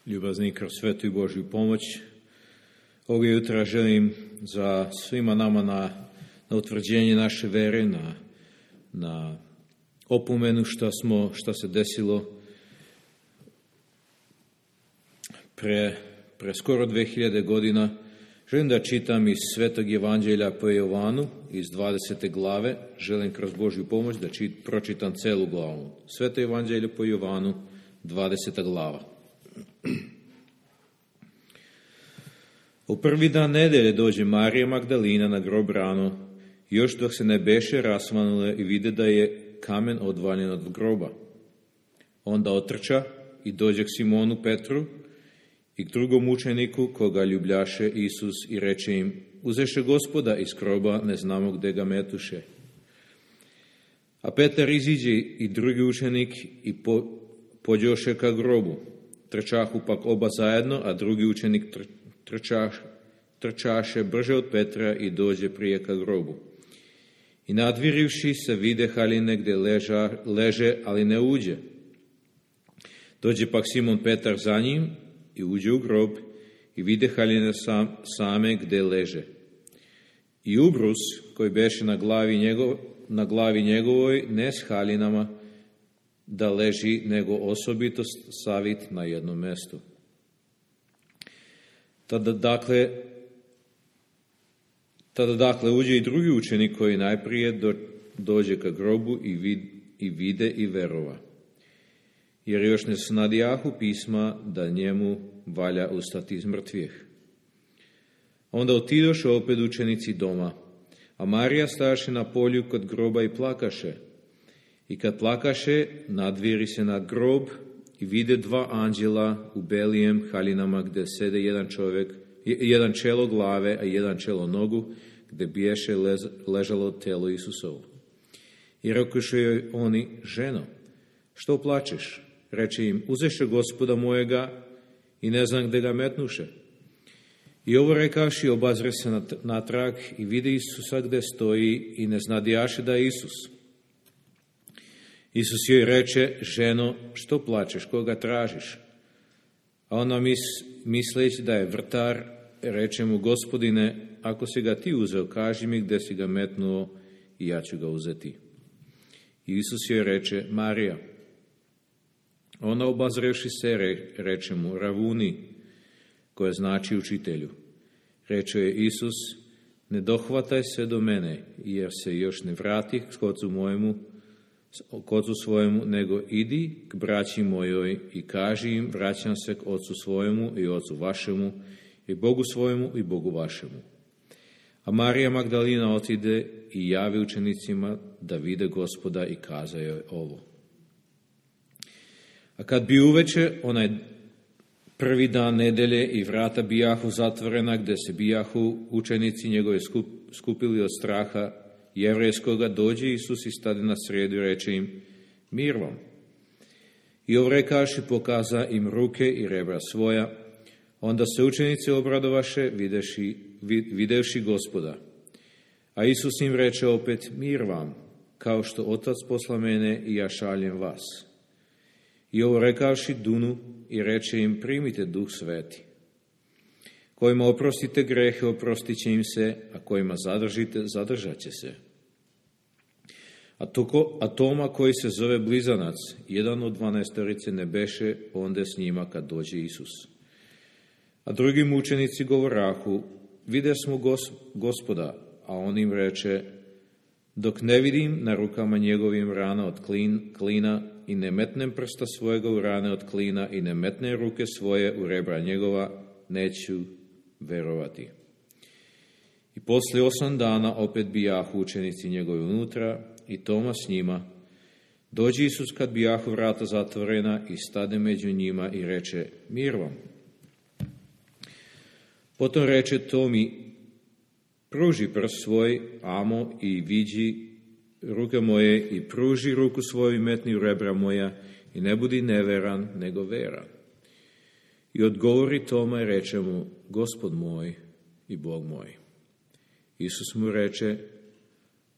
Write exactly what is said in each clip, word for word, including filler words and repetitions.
Ljubazni, kroz svetu i Božju pomoć, ovog jutra želim za svima nama na, na utvrđenje naše vere, na, na opomenu šta, smo, šta se desilo pre, pre skoro dve hiljade godina. Želim da čitam iz Svetog Evanđelja po Jovanu, iz dvadesete glave. Želim kroz Božju pomoć da čit, pročitam celu glavu. Sveto Evanđelje po Jovanu, dvadeseta glava. U prvi dan nedelje dođe Marija Magdalina na grob rano, još dok se ne beše rasvanule i vide da je kamen odvaljen od groba. Onda otrča i dođe k Simonu Petru i k drugom učeniku koga ljubljaše Isus i reče im: uzeše Gospoda iz groba, ne znamo gde ga metuše. A Petar iziđe i drugi učenik i po, pođoše ka grobu. Trčahu pak oba zajedno, a drugi učenik tr, trčaš, trčaše brže od Petra i dođe prije ka grobu. I nadvirivši se vide haljine gde leža, leže, ali ne uđe. Dođe pak Simon Petar za njim i uđe u grob i vide haljine sam, same gde leže. I ubrus koji beše na glavi, njegov, na glavi njegovoj, ne s haljinama da leži, nego osobito savit na jednom mestu. Tada dakle, tada dakle uđe i drugi učenik koji najprije do, dođe ka grobu i, vid, i vide i verova. Jer još ne snadjahu pisma da njemu valja ustati iz mrtvih. Onda otidoše opet učenici doma, a Marija staše na polju kod groba i plakaše. I kad plakaše, nadviri se nad grob i vide dva anđela u belijem haljinama gde sede jedan čovjek, jedan čelo glave, a jedan čelo nogu, gde biješe lez, ležalo telo Isusovo. I rekoše joj oni: ženo, što plačeš? Reče im: uzeše Gospoda mojega i ne znam gde ga metnuše. I ovo rekavši, obazre se natrag i vide Isusa gde stoji i ne znadjaše da je Isus. Isus joj reče: ženo, što plačeš, koga tražiš? A ona mis, misleći da je vrtar, reče mu: Gospodine, ako si ga ti uzeo, kaži mi gde si ga metnuo i ja ću ga uzeti. I Isus joj reče: Marija. Ona obazrevši se re, reče mu: Ravuni, koje znači učitelju. Reče je Isus: ne dohvataj se do mene, jer se još ne vrati k ocu mojemu, k ocu svojemu, nego idi k braći mojoj i kaži im: vraćam se k ocu svojemu i ocu vašemu, i Bogu svojemu i Bogu vašemu. A Marija Magdalina otide i javi učenicima da vide Gospoda i kaza joj ovo. A kad bi uveče, onaj prvi dan nedelje, i vrata bijahu zatvorena, gde se bijahu učenici njegove skup, skupili od straha jevrejskoga, dođe Isus i stade na sredu i reče im: mir vam. I ovrekaši pokaza im ruke i rebra svoja. Onda se učenici obradovaše videši, videvši Gospoda. A Isus im reče opet: mir vam, kao što Otac posla mene i ja šaljem vas. I ovo rekavši dunu i reče im: primite Duh Sveti. Kojima oprostite grehe, oprostit će im se, a kojima zadržite, zadržat će se. A, toko, a Toma, koji se zove Blizanac, jedan od dvanaestorice, ne beše onda s njima kad dođe Isus. A drugi mučenici govorahu: vide smo gos, Gospoda, a on im reče: dok ne vidim na rukama njegovim rana od klin, klina i ne metnem prsta svojega u rane od klina i ne metnem ruke svoje u rebra njegova, neću verovati. I posle osam dana opet bijahu učenici njegovi unutra i Toma s njima. Dođe Isus kad bijahu vrata zatvorena i stade među njima i reče: mir vam. Potom reče Tomi: pruži prst svoj, amo, i viđi ruke moje, i pruži ruku svoju i metni u rebra moja, i ne budi neveran, nego veran. I odgovori Toma i reče mu: Gospod moj i Bog moj. Isus mu reče: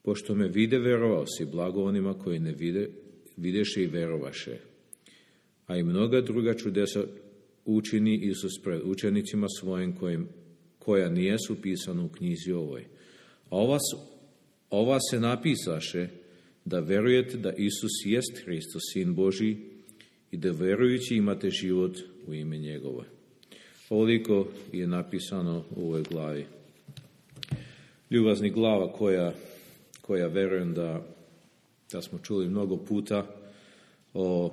pošto me vide, verovao si, blago onima koji ne vide, videše i verovaše. A i mnoga druga čudesa učini Isus pred učenicima svojim kojim, koja nijesu pisana u knjizi ovoj. A ova, ova se napisaše da verujete da Isus jest Hristos, Sin Božji, i da verujući imate život u ime njegovo. Ovoliko je napisano u ovoj glavi. Ljubazni glava koja, koja verujem da, da smo čuli mnogo puta o,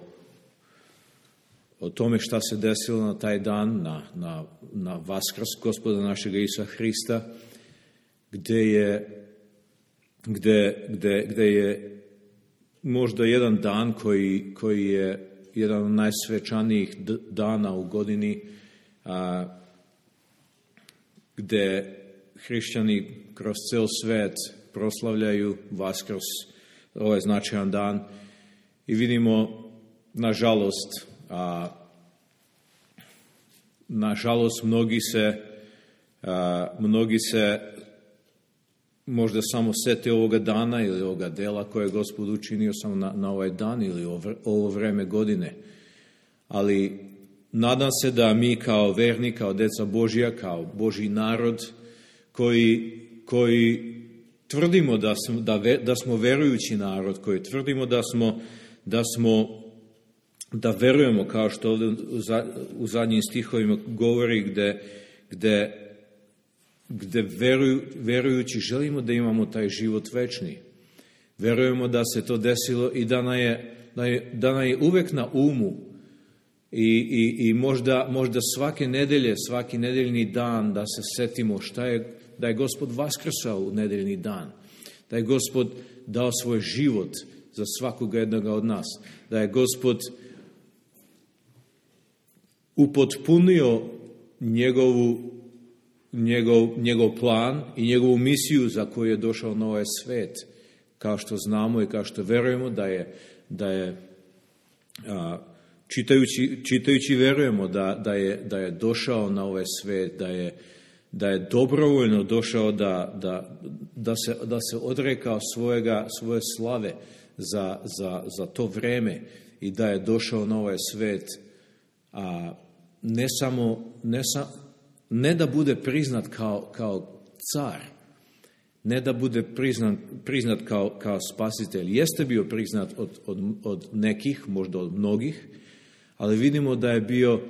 o tome šta se desilo na taj dan, na, na, na Vaskrs Gospoda našega Isusa Hrista, gde je, gde, gde, gde je možda jedan dan koji, koji je jedan od najsvečanijih dana u godini, a, gde hrišćani kroz cel svet proslavljaju Vaskrs, ovaj značajan dan, i vidimo, nažalost, a, nažalost mnogi se, a, mnogi se možda samo sete ovoga dana ili ovoga dela koje je Gospod učinio samo na, na ovaj dan ili ovo, ovo vreme godine. Ali nadam se da mi kao verni, kao deca Božja, kao Božji narod, koji, koji tvrdimo da smo, da, ve, da smo verujući narod, koji tvrdimo da smo, da smo, da verujemo, kao što ovdje u, za, u zadnjim stihovima govori, gde, gde gde veruju, verujući želimo da imamo taj život večni. Verujemo da se to desilo i da nam je, da je, da nam je uvek na umu i, i, i možda, možda svake nedelje, svaki nedeljni dan da se setimo šta je, da je Gospod vaskrsao u nedeljni dan, da je Gospod dao svoj život za svakoga jednoga od nas, da je Gospod upotpunio njegovu Njegov, njegov plan i njegovu misiju za koju je došao na ovaj svet, kao što znamo i kao što verujemo da je, da je a, čitajući, čitajući verujemo da, da, je, da je došao na ovaj svet, da je, da je dobrovoljno došao da, da, da, se, da se odrekao svojega, svoje slave za, za, za to vreme i da je došao na ovaj svet, a ne samo, ne samo ne da bude priznat kao, kao car, ne da bude priznat, priznat kao, kao spasitelj. Jeste bio priznat od, od, od nekih, možda od mnogih, ali vidimo da je bio,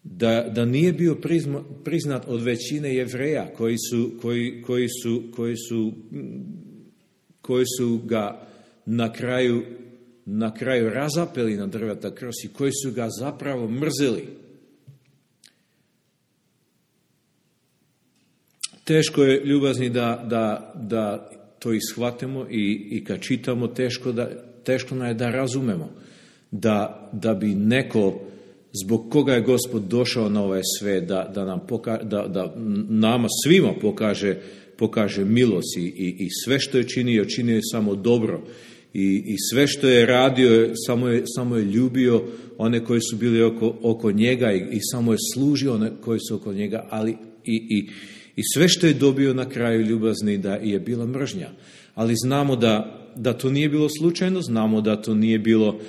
da, da nije bio prizma, priznat od većine Jevreja koji su, koji, koji su, koji su, koji su ga na kraju, na kraju razapeli na drveta krst i koji su ga zapravo mrzeli. Teško je, ljubazni, da, da, da to ishvatimo i, i kad čitamo, teško, da, teško nam je da razumemo da, da bi neko, zbog koga je Gospod došao na ovaj svet, da, da, nam poka, da, da nama svima pokaže, pokaže milost i, i, i sve što je činio, činio je samo dobro i, i sve što je radio, samo je, samo je ljubio one koji su bili oko, oko njega i, i samo je služio one koji su oko njega, ali i, i I sve što je dobio na kraju, ljubazni, da je bila mržnja. Ali znamo da, da to nije bilo slučajno, znamo da to nije bilo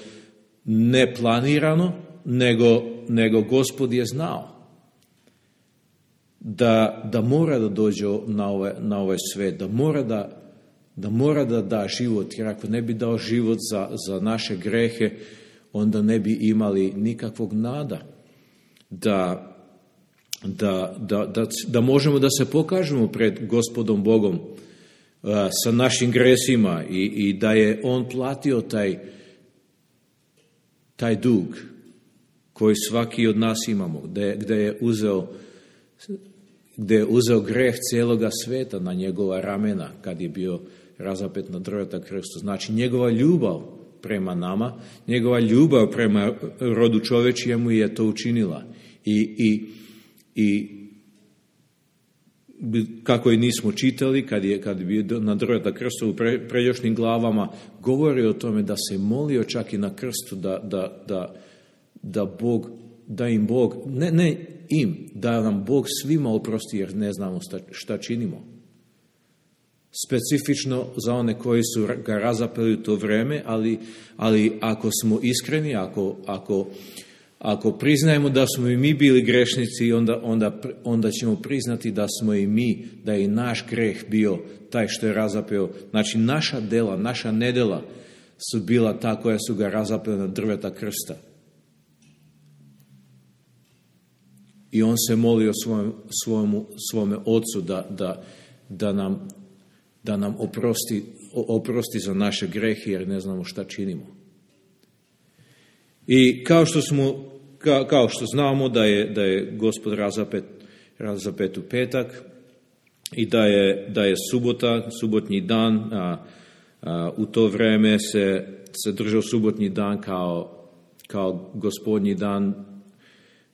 neplanirano, nego, nego Gospod je znao da, da mora da dođe na ovaj, na ovaj svet, da mora da, da mora da da život, jer ako ne bi dao život za, za naše grehe, onda ne bi imali nikakvog nada da Da, da, da, da možemo da se pokažemo pred Gospodom Bogom a, sa našim gresima i, i da je On platio taj, taj dug koji svaki od nas imamo, gde, gde, je uzeo, gde je uzeo greh cijeloga sveta na njegova ramena kad je bio razapet na drveta krstu. Znači njegova ljubav prema nama, njegova ljubav prema rodu čovečijemu je to učinila. I, i I kako i nismo čitali, kad je, kad je bio na drveta krstu u pre, pređašnjim glavama, govori o tome da se molio čak i na krstu da, da, da, da, Bog, da im Bog, ne, ne im, da nam Bog svima oprosti jer ne znamo šta, šta činimo. Specifično za one koji su ga razapeli u to vreme, ali, ali ako smo iskreni, ako, ako Ako priznajemo da smo i mi bili grešnici, onda, onda, onda ćemo priznati da smo i mi, da je i naš greh bio taj što je razapeo. Znači, naša dela, naša nedela su bila ta koja su ga razapela na drveta krsta. I on se molio svojom, svojom, svome ocu da, da, da, nam, da nam oprosti, oprosti za naše grehe, jer ne znamo šta činimo. I kao što smo, kao, kao što znamo da je, da je Gospod razapet, razapet u petak i da je, da je subota, subotnji dan, a, a, u to vreme se, se držao subotnji dan kao, kao gospodnji dan.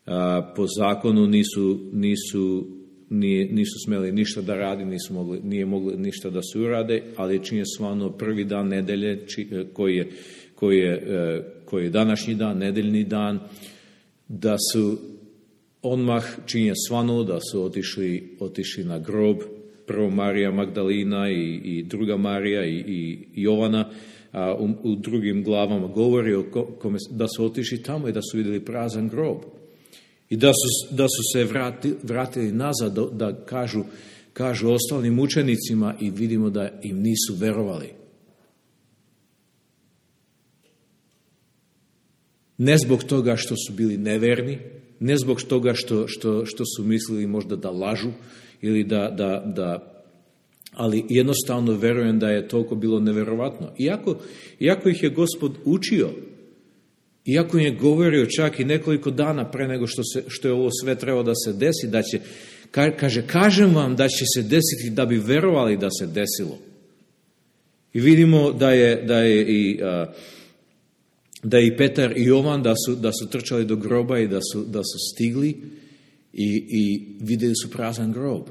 A, po zakonu nisu, nisu, nije, nisu smeli ništa da radi, nisu mogli, nije mogli ništa da se urade, ali čini stvarno prvi dan nedelje či, koji je Koji je, koji je današnji dan, nedeljni dan, da su odmah činje svanulo, da su otišli, otišli na grob, prvo Marija Magdalina i, i druga Marija i, i Jovana, a u, u drugim glavama govori o kome, da su otišli tamo i da su vidjeli prazan grob. I da su, da su se vrati, vratili nazad, da, da kažu, kažu ostalim učenicima i vidimo da im nisu verovali. Ne zbog toga što su bili neverni, ne zbog toga što, što, što su mislili možda da lažu, ili da, da, da, ali jednostavno verujem da je toliko bilo neverovatno. Iako, iako ih je Gospod učio, iako im je govorio čak i nekoliko dana pre nego što, se, što je ovo sve trebalo da se desi, da će, kaže, kažem vam da će se desiti da bi verovali da se desilo. I vidimo da je, da je i... A, da i Petar i Jovan da su, da su trčali do groba i da su, da su stigli i, i vidjeli su prazan grob.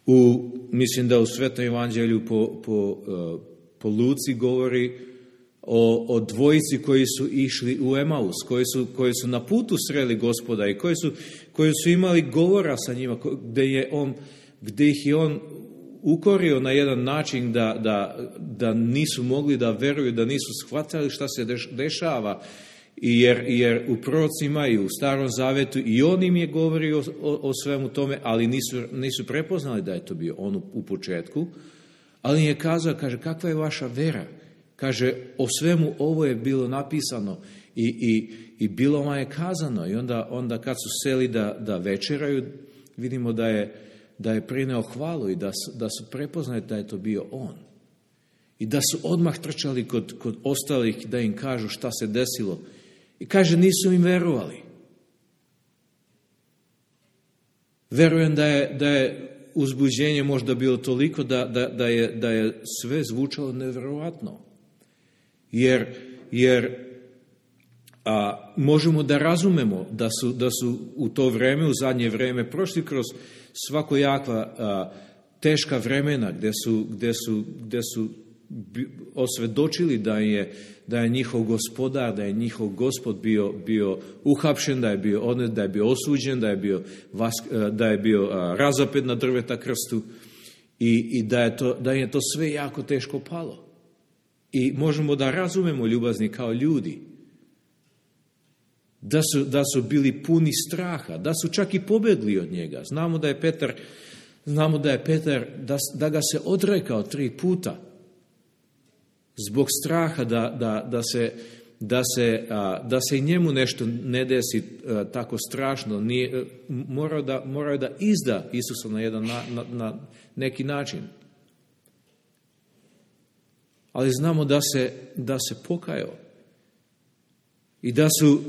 U, mislim da u Svetom evanđelju po, po, po Luci govori o, o dvojici koji su išli u Emaus, koji su, koji su na putu sreli Gospoda i koji su, koji su imali govora sa njima, gdje, je on, gdje ih je on ukorio na jedan način da, da, da nisu mogli da veruju, da nisu shvatili šta se dešava, jer, jer u prorocima i u Starom Zavetu i on im je govorio o, o, o svemu tome, ali nisu, nisu prepoznali da je to bio on u, u početku, ali im je kazao, kaže, kakva je vaša vera? Kaže, o svemu ovo je bilo napisano i, i, i bilo vam je kazano. I onda, onda kad su seli da, da večeraju, vidimo da je da je prineo hvalu i da su, da su prepoznali da je to bio on. I da su odmah trčali kod, kod ostalih da im kažu šta se desilo. I kaže, nisu im verovali. Verujem da je, da je uzbuđenje možda bilo toliko da, da, da, je, da je sve zvučalo nevjerovatno. Jer, jer a, možemo da razumemo da su, da su u to vreme, u zadnje vreme, prošli kroz svakojakva a, teška vremena gdje su, gdje su, gdje su osvjedočili da je, da je njihov gospodar, da je njihov gospod bio, bio uhapšen, da je bio odnet, da je bio osuđen, da je bio, vas, da je bio a, razapet na drveta krstu i, i da, je to, da je to sve jako teško palo. I možemo da razumemo, ljubazni, kao ljudi, da su, da su bili puni straha, da su čak i pobjegli od njega. Znamo da je Petar, znamo da je Petar, da, da ga se odrekao tri puta zbog straha da, da, da, se, da, se, da se i njemu nešto ne desi tako strašno. Nije, morao, da, morao da izda Isusa na jedan na, na, na neki način. Ali znamo da se, da se pokajao i da su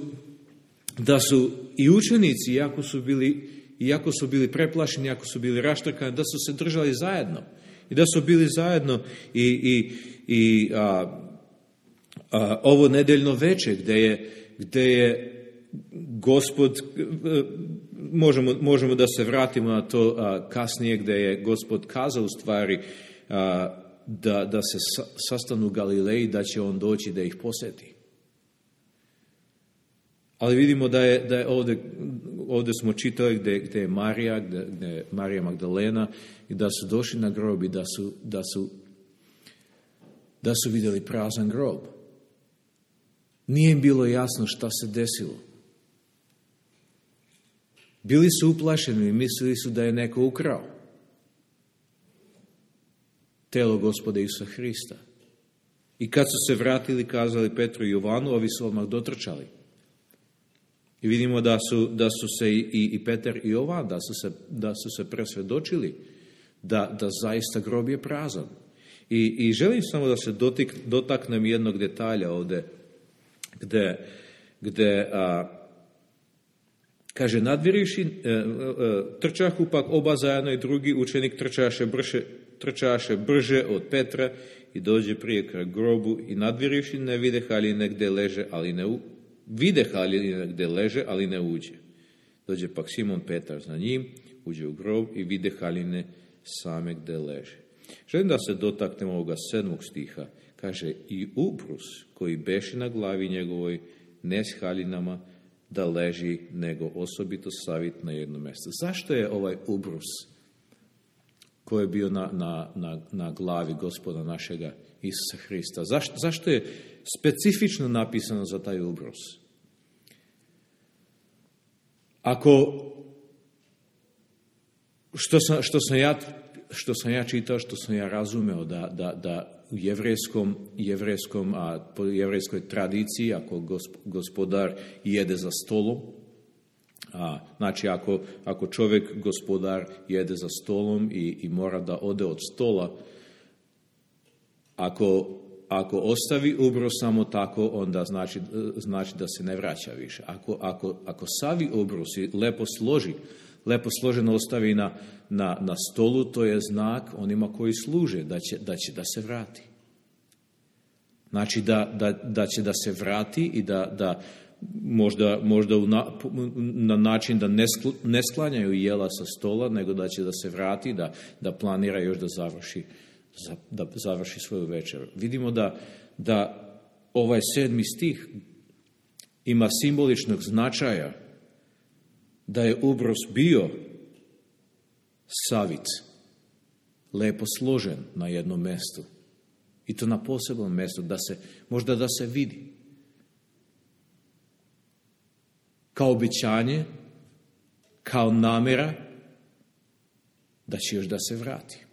da su i učenici, iako su bili, iako su bili preplašeni, iako su bili raštrkani, da su se držali zajedno. I da su bili zajedno i, i, i a, a, ovo nedeljno veče gdje je, gdje je Gospod, možemo, možemo da se vratimo na to a, kasnije, gdje je Gospod kazao u stvari a, da, da se sa, sastanu u Galileji, da će on doći da ih posjeti. Ali vidimo da je, da je ovdje, ovdje smo čitali gdje, gdje je Marija, gdje, gdje je Marija Magdalena i da su došli na grob i da su, da su, da su vidjeli prazan grob. Nije im bilo jasno šta se desilo. Bili su uplašeni i mislili su da je neko ukrao telo Gospoda Isusa Hrista. I kad su se vratili, kazali Petru i Jovanu, ovi su odmah dotrčali. I vidimo da su, da su se i, i Petar i Jovan, da su se, da su se presvjedočili da, da zaista grob je prazan. I, i želim samo da se dotik, dotaknem jednog detalja ovdje, gde, gde a, kaže, nadviriši, e, e, trčahu pak oba zajedno i drugi učenik trčaše brže, trčaše brže od Petra i dođe prije kraj grobu i nadviriši ne vide haljine gde leže, ali ne u, vide haljine gde leže, ali ne uđe. Dođe pak Simon Petar za njim, uđe u grob i vide haljine same gde leže. Želim da se dotaknemo ovoga sedmog stiha. Kaže, i ubrus koji beše na glavi njegovoj ne s haljinama da leži, nego osobito savit na jedno mjesto. Zašto je ovaj ubrus koji je bio na, na, na, na glavi Gospoda našega Isusa Hrista? Zašto, zašto je specifično napisano za taj ubrus? Ako, što sam, što sam ja što sam ja čitao, što sam ja razumeo da, da, da u jevrejskom, jevrejskom, a po jevrejskoj tradiciji, ako gospodar jede za stolom, a, znači ako, ako čovjek, gospodar, jede za stolom i, i mora da ode od stola, ako, ako ostavi ubrus samo tako, onda znači, znači da se ne vraća više. Ako, ako, ako savi ubrus i lepo složi, lepo složeno ostavi na, na, na stolu, to je znak onima koji služe, da će, da će da se vrati. Znači da, da, da će da se vrati i da, da možda, možda na, na način da ne, skl, ne sklanjaju jela sa stola, nego da će da se vrati, da, da planira još da završi, da završi svoju večeru. Vidimo da, da ovaj sedmi stih ima simboličnog značaja, da je ubrus bio savit, lepo složen na jednom mjestu. I to na posebnom mjestu, da se, možda da se vidi. Kao obećanje, kao namjera, da će još da se vrati.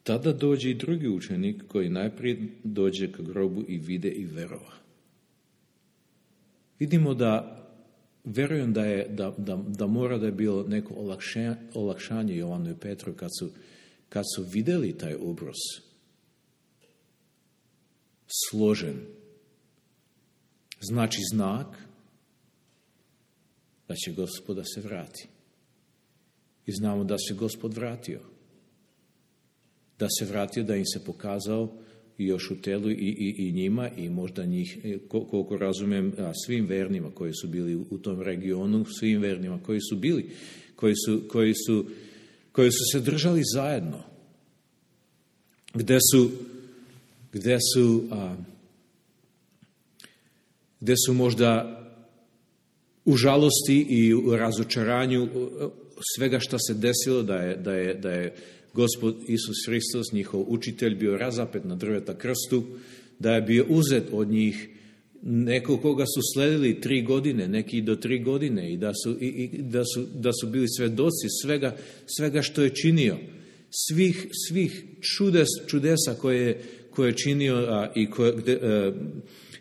Tada dođe i drugi učenik koji najprije dođe k grobu i vide i verova. Vidimo da, verujem da, je, da, da, da mora da je bilo neko olakšanje, olakšanje Jovanu i Petru kad su, kad su vidjeli taj ubrus složen. Znači znak da će Gospod da se vrati. I znamo da se Gospod vratio. Da se vratio, da im se pokazao još u telu i, i, i njima i možda njih, koliko razumijem, svim vernima koji su bili u tom regionu, svim vernima koji su bili, koji su, koji su, koji su se držali zajedno. Gde su, gde su, a, gde su možda u žalosti i u razočaranju svega što se desilo, da je, da je, da je Gospod Isus Hristos, njihov učitelj, bio razapet na drveta krstu, da je bio uzet od njih, neko koga su sledili tri godine, neki do tri godine i da su, i, i, da su, da su bili svedoci svega, svega što je činio, svih, svih čudes, čudesa koje, koje je činio a, i koje, gde, a,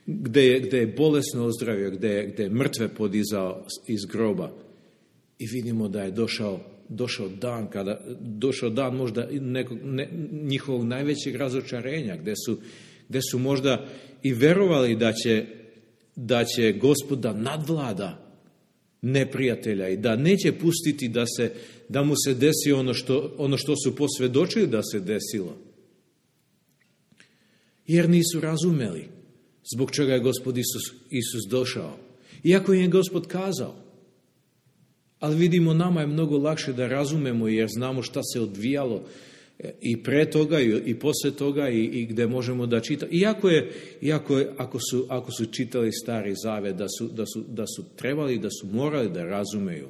gde, je, gde je bolesno ozdravio, gde, gde je mrtve podizao iz groba. I vidimo da je došao došao dan, kada došao dan možda nekog, ne, njihovog najvećeg razočarenja, gde su, gde su možda i verovali da će, da će Gospod da nadvlada neprijatelja i da neće pustiti da, se, da mu se desi ono što, ono što su posvjedočili da se desilo. Jer nisu razumeli zbog čega je Gospod Isus, Isus došao. Iako im je Gospod kazao. Ali vidimo, nama je mnogo lakše da razumemo jer znamo šta se odvijalo i pre toga i, i posle toga i, i gde možemo da čitamo. Iako je, iako je ako, su, ako su čitali Stari Zavet, da su, da, su, da su trebali, da su morali da razumeju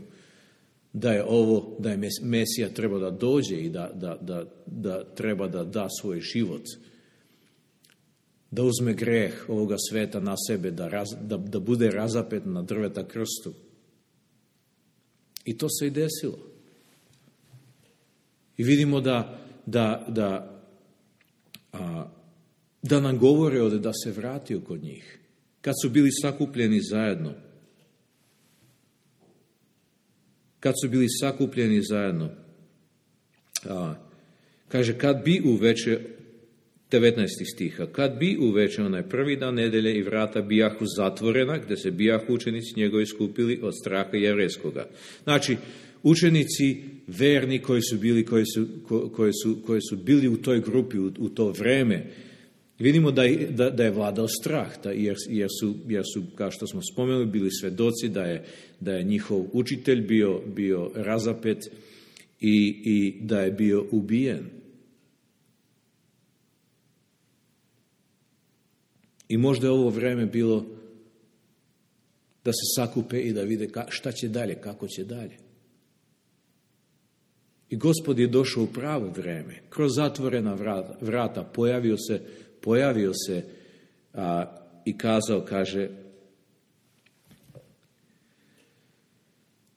da je ovo, da je Mesija treba da dođe i da, da, da, da treba da da svoj život, da uzme greh ovoga sveta na sebe, da, raz, da, da bude razapet na drveta krstu. I to se i desilo. I vidimo da, da, da, a, da nam govore ovdje da se vratio kod njih. Kad su bili sakupljeni zajedno. Kad su bili sakupljeni zajedno. A, kaže, kad bi uveče, devetnaesti stiha, kad bi uveče onaj prvi dan nedelje i vrata bijahu zatvorena, gde se bijahu učenici njegovi skupili od straha jevrejskoga. Znači, učenici verni koji su bili, koji su, koji su, koji su bili u toj grupi, u, u to vreme, vidimo da je, da, da je vladao strah, da, jer, jer, su, jer su, kao što smo spomenuli, bili svedoci da je, da je njihov učitelj bio, bio razapet i, i da je bio ubijen. I možda je ovo vreme bilo da se sakupe i da vide šta će dalje, kako će dalje. I Gospod je došao u pravo vreme. Kroz zatvorena vrata, vrata pojavio se, pojavio se a, i kazao, kaže,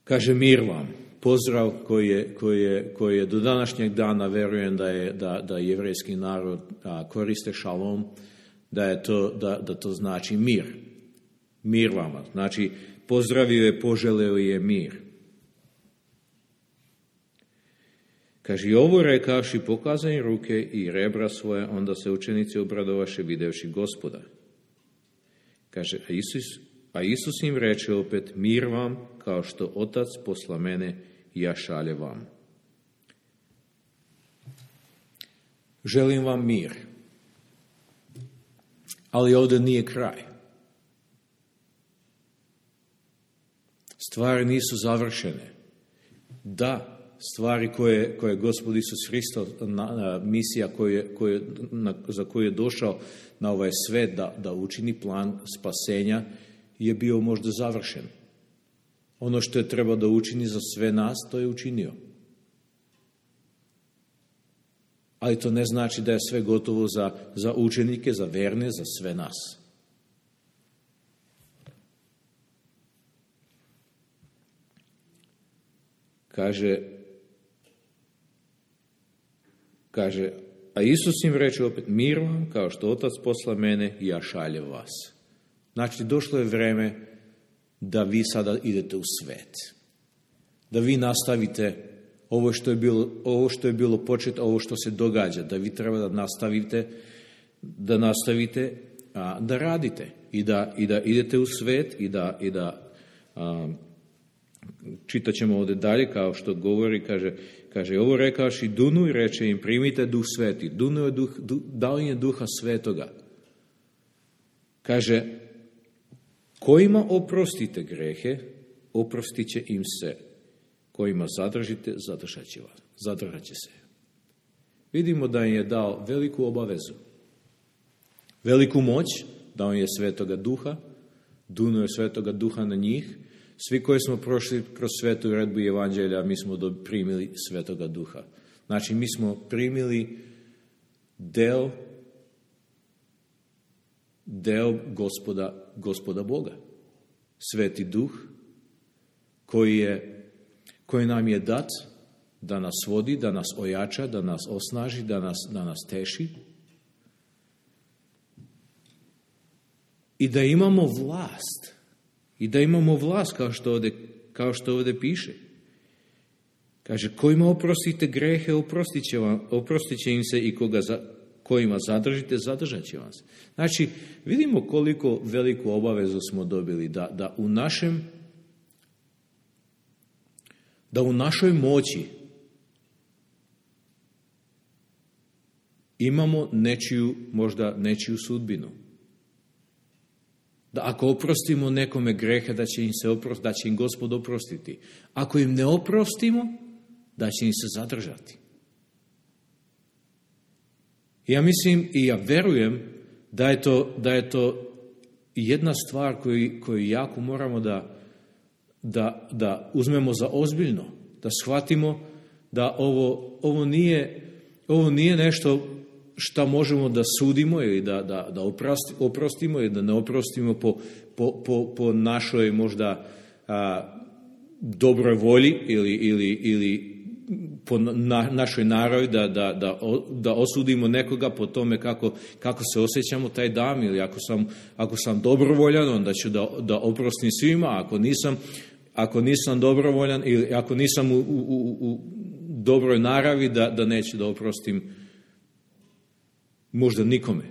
kaže mir vam, pozdrav koji je, koji je, koji je do današnjeg dana, verujem da je da, da jevrejski narod a, koriste šalom, da je to, da, da to znači mir. Mir vama. Znači, pozdravio je, poželeo je mir. Kaže, i ovo rekavši, pokazani ruke i rebra svoje, onda se učenici obradovaše videvši Gospoda. Kaže, a Isus, a Isus im reče opet, mir vam, kao što Otac posla mene, ja šalje vam. Želim vam mir. Ali ovdje nije kraj. Stvari nisu završene. Da, stvari koje, koje Gospod Isus Hristos, na, na, misija koje, koje, na, za koju je došao na ovaj svet da, da učini plan spasenja, je bio možda završen. Ono što je trebao da učini za sve nas, to je učinio. Ali to ne znači da je sve gotovo za, za učenike, za verne, za sve nas. Kaže, kaže, a Isus im reče opet, mir vam, kao što Otac posla mene, ja šaljem vas. Znači, došlo je vreme da vi sada idete u svet. Da vi nastavite ovo što je bilo, ovo što je bilo počet, ovo što se događa, da vi treba da nastavite, da nastavite a, da radite i da, i da idete u svet i da, i da a, čitat ćemo ovdje dalje, kao što govori, kaže, kaže ovo rekavši dunu i reče im primite duh sveti. Dunu je duh, duh, dao im je duha svetoga. Kaže, kojima oprostite grehe, oprostit će im se. Kojima zadržite, zadržat će vas. Zadržat će se. Vidimo da im je dao veliku obavezu. Veliku moć, dao im je svetoga duha, dunuo je svetoga duha na njih. Svi koji smo prošli kroz svetu uredbu evanđelja, mi smo primili svetoga duha. Znači, mi smo primili deo, deo gospoda, gospoda Boga. Sveti duh, koji je koji nam je dat da nas vodi, da nas ojača, da nas osnaži, da nas, da nas teši. I da imamo vlast. I da imamo vlast, kao što ovdje, kao što ovdje piše. Kaže, kojima oprostite grehe, oprostit će, vam, oprostit će im se i koga za, kojima zadržite, zadržat će vas. Znači, vidimo koliko veliku obavezu smo dobili da, da u našem da u našoj moći imamo nečiju, možda nečiju sudbinu. Da ako oprostimo nekome grehe, da će im se oprost, da će im Gospod oprostiti. Ako im ne oprostimo, da će im se zadržati. Ja mislim i ja verujem da je to, da je to jedna stvar koju, koju jako moramo da Da, da uzmemo za ozbiljno. da shvatimo da ovo, ovo, nije, ovo nije nešto šta možemo da sudimo ili da, da, da oprosti, oprostimo ili da ne oprostimo po, po, po, po našoj možda a, dobroj volji ili, ili, ili po na, našoj naravi da, da, da, da osudimo nekoga po tome kako, kako se osjećamo taj dan, ili ako sam, ako sam dobrovoljan, onda ću da, da oprostim svima, ako nisam, ako nisam dobrovoljan ili ako nisam u, u, u, u dobroj naravi, da, da neću da oprostim možda nikome.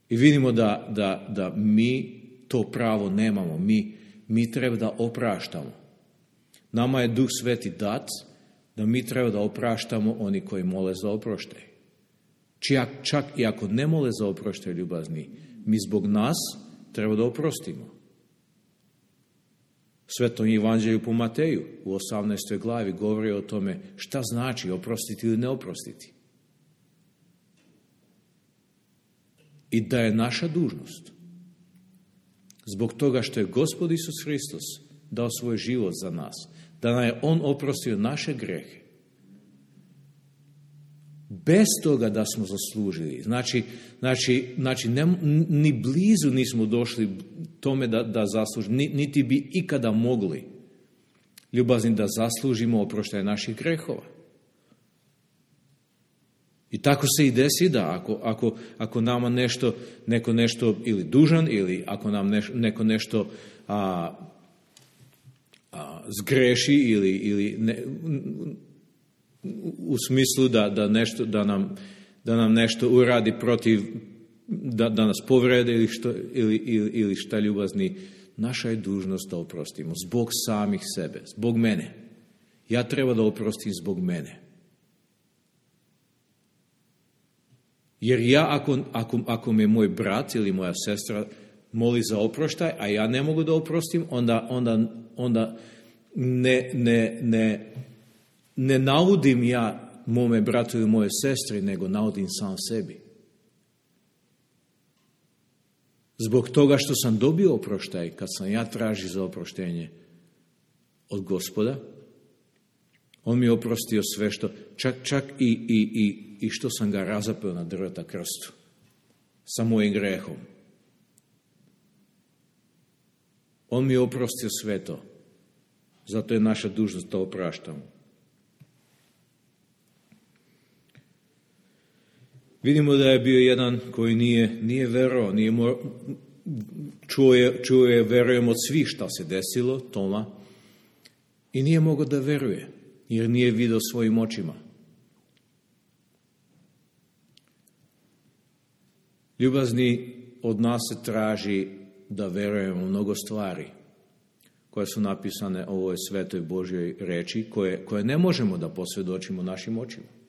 I vidimo da, da, da mi to pravo nemamo, mi, mi treba da opraštamo. Nama je Duh Sveti dat da mi treba da opraštamo oni koji mole za oproštaj. Čak, čak i ako ne mole za oproštaj, ljubazni, mi zbog nas treba da oprostimo. Svetom evanđelju po Mateju u osamnaestoj glavi govori o tome šta znači oprostiti ili ne oprostiti. I da je naša dužnost, zbog toga što je Gospod Isus Hristos dao svoj život za nas, da nam je On oprostio naše grehe, bez toga da smo zaslužili. Znači, znači, znači ne, ni blizu nismo došli tome da, da zaslužimo, niti bi ikada mogli, ljubazni, da zaslužimo oproštaj naših grehova. I tako se i desi da ako, ako, ako nama nešto, neko nešto ili dužan, ili ako nam neš, neko nešto a, a, zgreši ili, ili ne, u smislu da, da, nešto, da, nam, da nam nešto uradi protiv, da, da nas povrede ili, što, ili, ili, ili šta, ljubazni, naša je dužnost da oprostimo zbog samih sebe, zbog mene. Ja treba da oprostim zbog mene. Jer ja, ako, ako, ako me moj brat ili moja sestra moli za oproštaj, a ja ne mogu da oprostim, onda, onda, onda ne, ne, ne, ne navodim ja mome bratu ili moje sestri, nego navodim sam sebi. Zbog toga što sam dobio oproštaj, kad sam ja tražio za oproštenje od Gospoda, On mi je oprostio sve što, čak, čak i, i, i, i što sam ga razapeo na drveta krstu, sa mojim grehom. On mi je oprostio sve to. Zato je naša dužnost da opraštamo. Vidimo da je bio jedan koji nije, nije verovao, nije mor... čuo, je, čuo je, verujem, od svih šta se desilo, Toma, i nije mogao da veruje, jer nije vidio svojim očima. Ljubazni, od nas se traži da verujemo mnogo stvari koje su napisane u ovoj svetoj Božjoj reči, koje, koje ne možemo da posvjedočimo našim očima.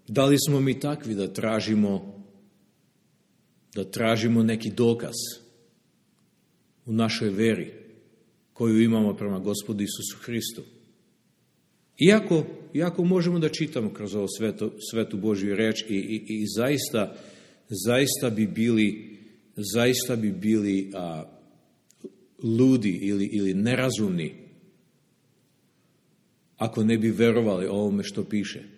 Da li smo mi takvi da tražimo, da tražimo neki dokaz u našoj veri koju imamo prema Gospodu Isusu Hristu? Iako, iako možemo da čitamo kroz ovo svetu, svetu Božju reč i, i, i zaista, zaista bi bili, zaista bi bili a, ludi ili, ili nerazumni ako ne bi verovali ovome što piše.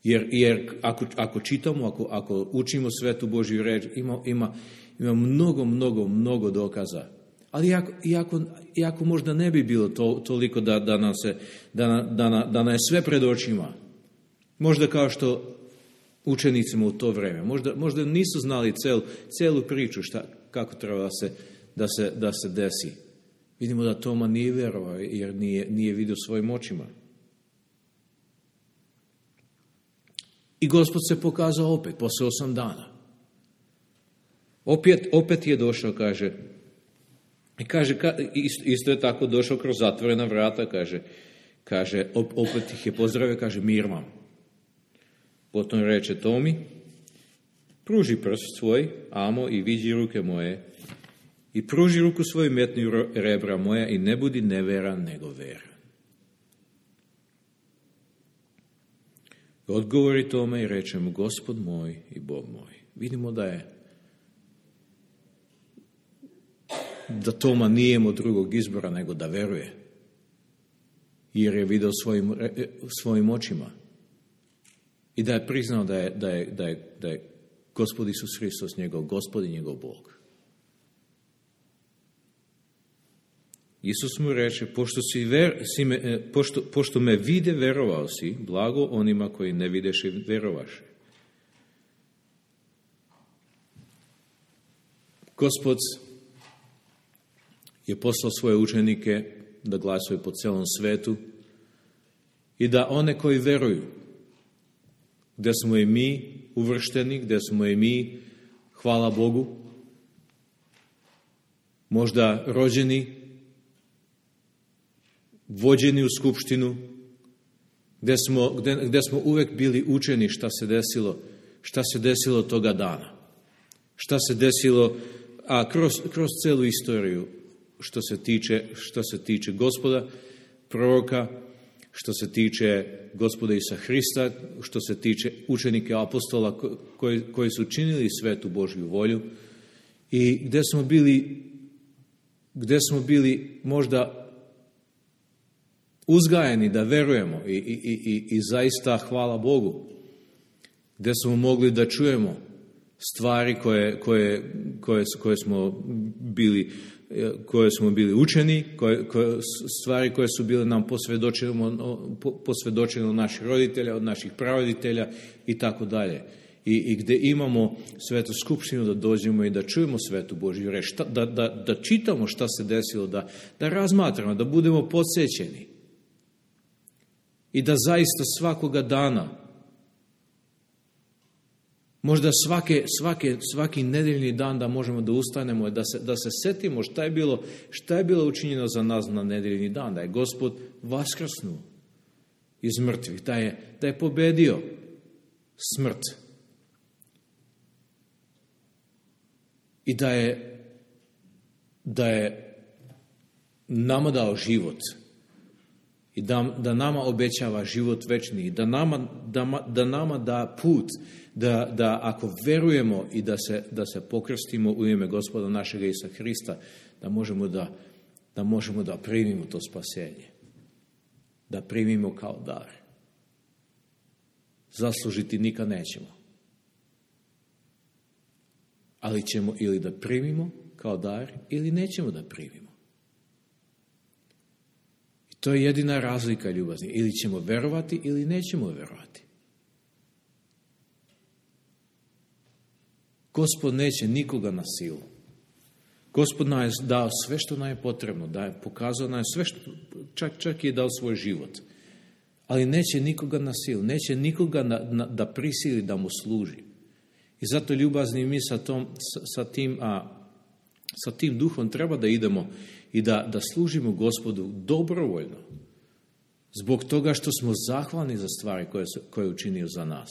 Jer, jer ako, ako čitamo, ako, ako učimo svetu Božju reč, ima, ima, ima mnogo, mnogo, mnogo dokaza. Ali iako, iako, iako možda ne bi bilo to, toliko da, da, nam se, da, da, da nam je sve pred očima, možda kao što učenicima u to vreme, možda, možda nisu znali cel, celu priču šta, kako treba da se, da, se, da se desi. Vidimo da Toma nije vjerovao jer nije, nije vidio svojim očima. I Gospod se pokazao opet, posle osam dana. Opet, opet je došao, kaže, i kaže, isto je tako došao kroz zatvorena vrata, kaže, kaže opet ih je pozdravio, kaže, mir vam. Potom reče Tomi, pruži prst svoj, amo, i vidi ruke moje, i pruži ruku svoju, metni rebra moja, i ne budi neveran, nego veran. Odgovori Tome i reče mu, Gospod moj i Bog moj. Vidimo da je da Toma nije imao drugog izbora nego da veruje. Jer je vidio svojim, svojim očima. I da je priznao da je, da je, da je, da je Gospod Isus Hristos njegov Gospod i njegov Bog. Isus mu reče, pošto, si ver, si me, pošto, pošto me vide, verovao si, blago onima koji ne videše, verovaše. Gospod je poslao svoje učenike da glasuju po celom svetu i da one koji veruju, gde smo i mi uvršteni, gde smo i mi, hvala Bogu, možda rođeni, vođeni u skupštinu, gde smo, gde, gde smo uvek bili učeni šta se desilo, šta se desilo toga dana. Šta se desilo, a kroz, kroz celu istoriju, što se tiče, što se tiče Gospoda, proroka, što se tiče Gospoda Isusa Hrista, što se tiče učenika apostola koji, koji su činili svetu Božju volju i gde smo bili, gde smo bili možda uzgajeni da verujemo i, i, i, i zaista hvala Bogu, gde smo mogli da čujemo stvari koje, koje, koje, koje smo bili koje smo bili učeni, koje, koje, stvari koje su bile nam posvjedočene, posvjedočene od naših roditelja, od naših praroditelja i tako dalje. I, i gde imamo svetu skupštinu da dođemo i da čujemo svetu Božju reč, da, da, da čitamo šta se desilo, da, da razmatramo, da budemo podsjećeni. I da zaista svakoga dana, možda svake, svake, svaki nedeljni dan da možemo da ustanemo, da se, da se setimo šta je bilo, šta je bilo učinjeno za nas na nedeljni dan, da je Gospod vaskrsnuo iz mrtvih, da je, da je pobedio smrt i da je, da je nama dao život i da, da nama obećava život večni, da nama da, da, nama da put, da, da ako verujemo i da se, da se pokrstimo u ime Gospoda našega Isusa Hrista, da možemo da, da možemo da primimo to spasenje, da primimo kao dar. Zaslužiti nikad nećemo. Ali ćemo ili da primimo kao dar, ili nećemo da primimo. I to je jedina razlika, ljubazni. Ili ćemo verovati, ili nećemo verovati. Gospod neće nikoga na silu. Gospod nam je dao sve što nam je potrebno, da je pokazao nam sve što, čak, čak je dao svoj život. Ali neće nikoga na silu, neće nikoga na, na, da prisili da mu služi. I zato, ljubazni, mi sa, tom, sa, sa, tim, a, sa tim duhom treba da idemo i da, da služimo Gospodu dobrovoljno. Zbog toga što smo zahvalni za stvari koje, koje je učinio za nas.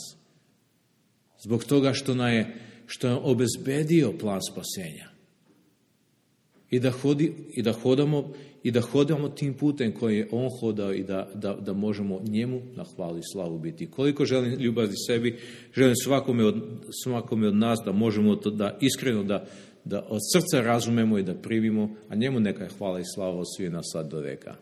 Zbog toga što nam je, što je obezbedio plan spasenja. I da, hodi, i da hodamo i da hodamo tim putem koji je on hodao i da, da, da možemo njemu na hvalu i slavu biti. Koliko želim ljubavi sebi, želim svakome od, svakome od nas da možemo to da iskreno da, da od srca razumemo i da primimo, a njemu neka je hvala i slava od svih nas sad do veka.